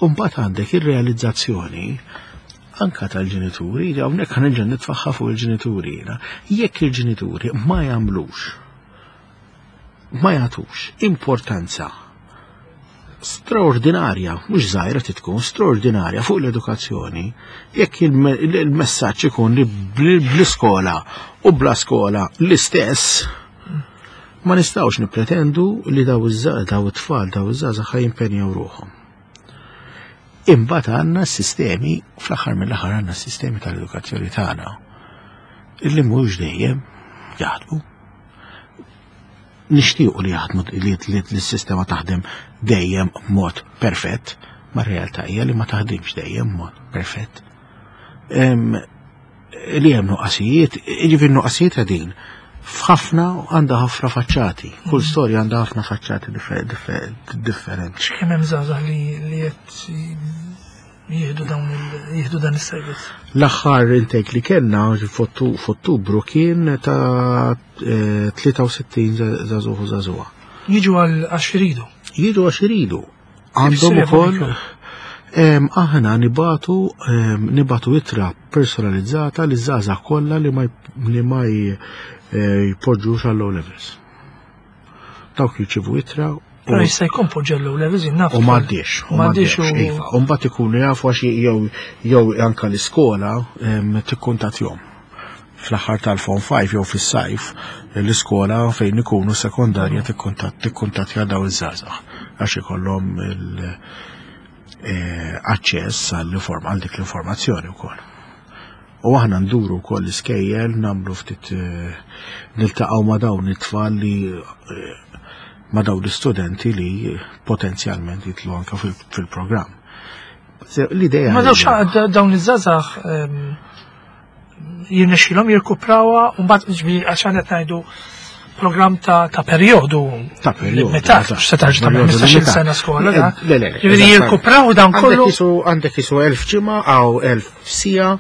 mbagħad għandek ir-realizzazzjoni anka tal-ġenituri, hawnhekk ħa nerġa' nitfaħħa fuq il-ġenituri jiena. Jekk il-ġenituri ma jagħmlux ma jagħtux importanza straordinarja, mhux żgħira tkun straordinarja fuq l-edukazzjoni, jekk il-messaġġ ikun li bl-iskola u bla skola l-istess, ma nistgħux nippretendu li daw daw it-tfal, daw iż-żgħażagħ ħa jimpenjaw ruħhom. Imbagħad għandna s-sistemi, fl-aħħar mill-aħħar għandna s-sistemi tal-edukazzjoni tagħna illi mhux dejjem jaħdmu. Nixtiequ li jaħdmu li l-sistema taħdem dejjem b'mod perfett, ma r-realtà hija li ma taħdimx dejjem b'mod perfett. Li hemm nuqqasijiet, jiġifieri nuqqasijiet qegħdin f'ħafna għandha ħafna faċċati. Kull storja għandha ħafna faċċati differenti. Kemm hemm żgħażagħ li qed jieħdu dawn jieħdu dan is-servizz? L-aħħar intake li kellna f'Ottubru kien ta' 63 żagħżugħ u żagħżugħa. Jiġu għal għax iridu. Jiġu għax iridu. Għandhom ukoll aħna nibatu nibatu ittra personalizzata li żgħażagħ kollha li ma li ma jpoġġux għall O levels. Dawk jirċievu ittra Però jista' jkun poġġa l-O levels naf. U m'għaddiex, u m'għaddiex, iva. U mbagħad ikunu jafu għax jew jew anka l-iskola tikkuntattjhom fl-aħħar tal-Form 5 jew fis-sajf l-iskola fejn ikunu sekondarja tikkuntattja daw iż-żgħażagħ għax ikollhom l-aċċess għal dik l-informazzjoni wkoll. U aħna nduru wkoll l-iskejjel nagħmlu ftit niltaqgħu ma' dawn it-tfal li ma' dawn l-istudenti li potenzjalment jitlu anke fil-programm. L-idea. Ma dawx dawn iż-żgħażagħ jirnexxilhom jirkuprawha u mbagħad ġifieri għax qed ngħidu programm ta' perjodu. Ta' perjodu. Limitat, se tarġa' tagħmel 15-il sena skola. Le, le, le. Ġifieri jirkupraw dan kollu. Għandek isu 1000 ġimgħa għaw 1000 siegħa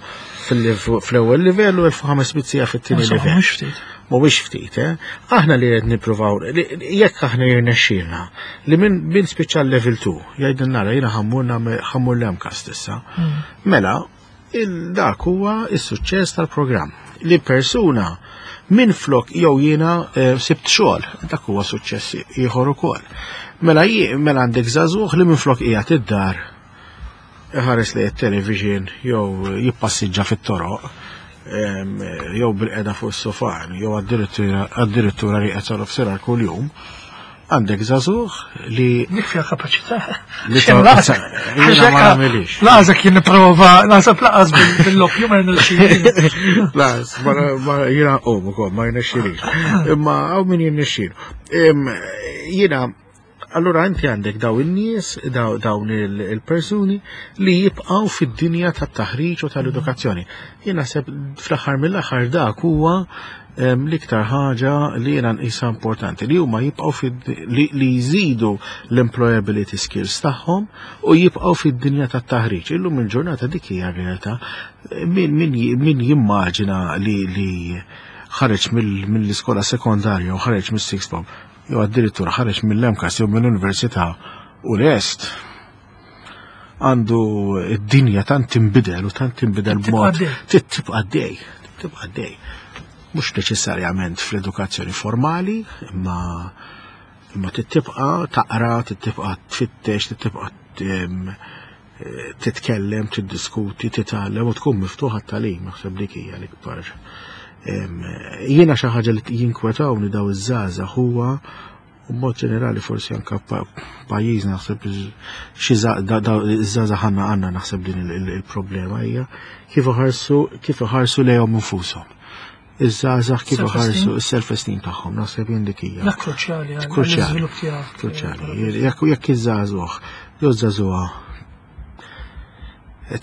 fl-ewwel livell u 1500 siegħa fit-tieni livell. Mhux ftit. Mhuwiex ftit, eh? Aħna li qed nippruvaw jekk aħna jirnexxielna li minn spiċċa level 2 jgħidilna nara jiena ħammur l-MCAST issa. Mela, dak huwa is-suċċess tal-programm. Li persuna minn flok jew jiena sibt xogħol, dak huwa suċċess ieħor ukoll. Mela mela għandek żagħżugħ li minn flok qiegħed id-dar iħares li television jew jippassiġġa fit-toroq jew bil-qeda fuq is-sofan jew addirittura rieqed sa nofsinhar kuljum. Għandek żagħżugħ li Dik fiha kapaċità. Li jiena ma nagħmilix. Laqas jien nipprova, naħseb laqas bil-loppju ma jirnexxilix. Laqas, ma jiena qom ukoll ma jirnexxilix. Imma hawn min jirnexxilu. Jiena Allura inti għandek daw in-nies, dawn il-persuni li jibqgħu fid-dinja tat-taħriġ u tal-edukazzjoni. Jien naħseb fl-aħħar mill-aħħar dak huwa l-iktar ħaġa li jiena nqisha importanti li huma jibqgħu li jżidu l-employability skills tagħhom u jibqgħu fid-dinja tat-taħriġ. Illum il-ġurnata dik hija r-realtà. Min jimmaġina li ħareġ mill-iskola sekondarja u ħareġ mis-sixth form jew addirittura ħareġ mill-MCAST jew mill-università u lest għandu id-dinja tant tinbidel u tant tinbidel b'mod tibqa' għaddej, tibqa' għaddej. Mhux neċessarjament fl-edukazzjoni formali, imma imma tibqa' taqra, tibqa' tfittex, tibqa' titkellem, tiddiskuti, titgħallem u tkun miftuħa t-tagħlim, naħseb dik hija l-ikbar. Jiena xi ħaġa li jinkwetawni daw iż-żgħażagħ huwa u mod ġenerali forsi anka pajjiżna naħseb xi iż-żgħażagħ għandna għandna naħseb din il-problema hija kif iħarsu kif iħarsu lejhom infushom. iż-żgħażagħ kif iħarsu s-self-esteem tagħhom, naħseb jien dik hija. Dak kruċjali għall-iżvilupp tiegħek. Kruċjali. Jekk iż-żagħżugħ jew żagħżugħa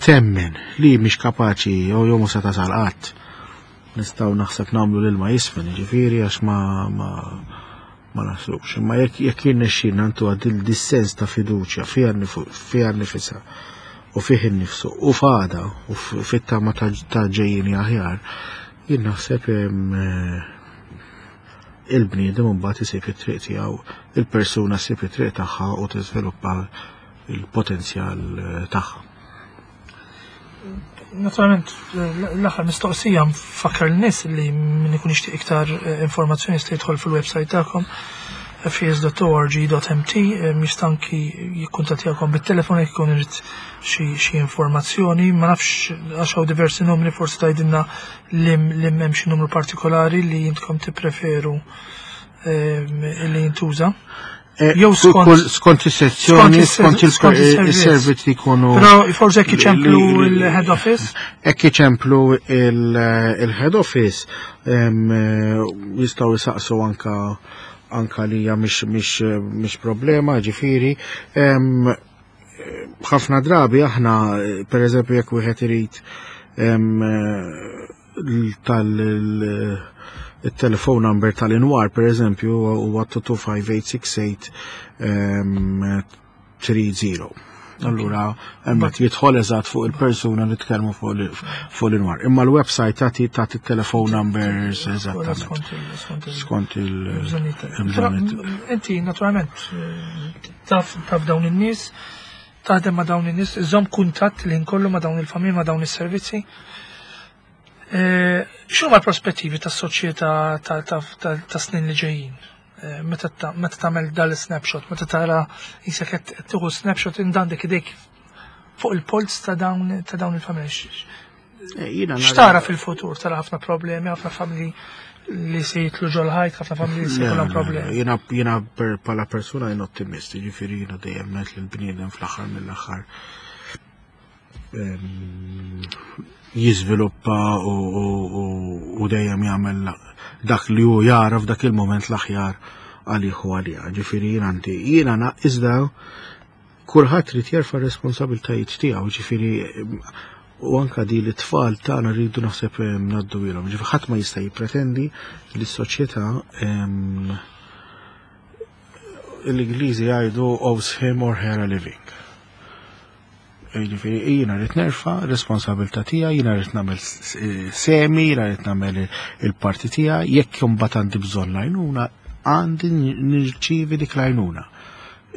temmen li mhix kapaċi jew jew mhux se tasal qatt, nistgħu naħseb nagħmlu l-ilma jisfen, jiġifieri għax ma ma naslux. Imma jekk jekk jirnexxilna ntuha dis-sens ta' fiduċja fiha nnifisha u fih innifsu u f'għada u fit-tama ta' ġejjieni aħjar, jien naħseb eh, il-bniedem mbagħad isib it-triq tiegħu, il-persuna ssib it-triq tagħha u tiżviluppa il-potenzjal eh, tagħha. Naturalment, l-aħħar mistoqsija nfakkar l-nies li min ikun jixtieq iktar eh, informazzjoni jista' jidħol fil-website tagħkom fs.org.mt eh, jista' anki jikkuntattjakom bit-telefon jekk ikun irid xi informazzjoni, ma nafx għax hawn diversi numri forsi tgħidilna li hemm xi numru partikolari li jintkom tippreferu eh, li jintuża. Eh, Jew skont is-sezzjoni, skont il-servizz li jkunu. Però forsi jekk iċemplu il-head office? Jekk iċemplu il-head office eh, jistgħu jisaqsu anka anka li hija mhix problema, ġifieri. Ħafna drabi aħna, per eżempju, jekk wieħed irid tal il-telefon number tal-inwar per eżempju huwa 225868 30. Allura, hemmhekk jidħol eżatt fuq il-persuna li tkellmu fuq l-inwar. Imma l-website tagħti tagħti telefon numbers eżattament. Skont il-bżonnijiet. Inti naturalment taf taf dawn in-nies, taħdem ma' dawn in-nies, iżomm kuntatt li nkollu ma' dawn il-familji, ma' dawn is-servizzi. Eh, x'huma l-prospettivi tas-soċjetà ta' snin li ġejjin? Eh, meta tagħmel dal-snapshot, meta tara jisek qed tieħu snapshot indandek idejk fuq il-polz ta' dawn ta' dawn il-familji. Eh, x'tara fil-futur? Tara ħafna problemi, ħafna familji li se jitlu ġol-ħajt, ħafna familji li se jkollhom problemi. Jiena jiena bħala persuna jien ottimist, jiġifieri jiena dejjem ngħid li l-bniedem fl-aħħar mill-aħħar jiżviluppa u dejjem jagħmel dak li hu jara f'dak il-moment l-aħjar għalih u għaliha. Ġifieri jien għandi jiena iżda kulħadd trid jerfa' responsabiltajiet tiegħu, ġifieri u anka di li tfal tagħna rridu naħseb ngħaddu ilhom. Ġifieri ħadd ma jista' jippretendi li s-soċjetà l-Ingliżi jgħidu owes him or her a living. Jiġifieri jiena rrid nerfa' responsabilità tiegħi, jiena rrid nagħmel semi, jiena rrid nagħmel il-parti tiegħi, jekk imbagħad għandi bżonn l-għajnuna, għandi nirċievi dik l-għajnuna.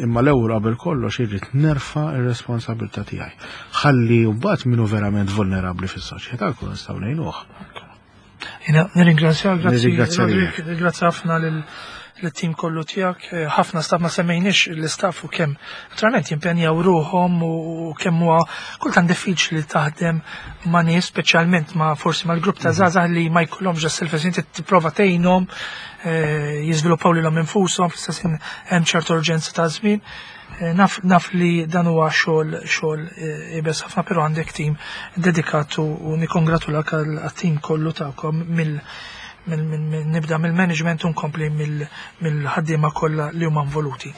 Imma l-ewwel qabel kollox irrid nerfa' r-responsabilità tiegħi. Ħalli mbagħad min hu verament vulnerabbli fis-soċjetà nkunu nistgħu ngħinuh. Jena nirringrazzja, grazzi, grazzi ħafna l-tim kollu tiegħek, eh, ħafna staff ma semmejniex l-istaff u kemm naturalment jimpenjaw ruħhom u kemm huwa kultant diffiċli taħdem ma' nies, speċjalment ma' forsi mal-grupp ta' mhm. żgħażagħ li ma jkollhomx self-esteem tipprova tgħinhom eh, jiżviluppaw lilhom infushom, fl-istess hemm ċertu urġenza ta' żmien. Eh, naf, naf li dan huwa xogħol xogħol eh, ibes ħafna, però għandek tim dedikat u nikkongratulak għat-tim kollu tagħkom mill nibda mill-management u nkompli mill-ħaddiema kollha li huma involuti.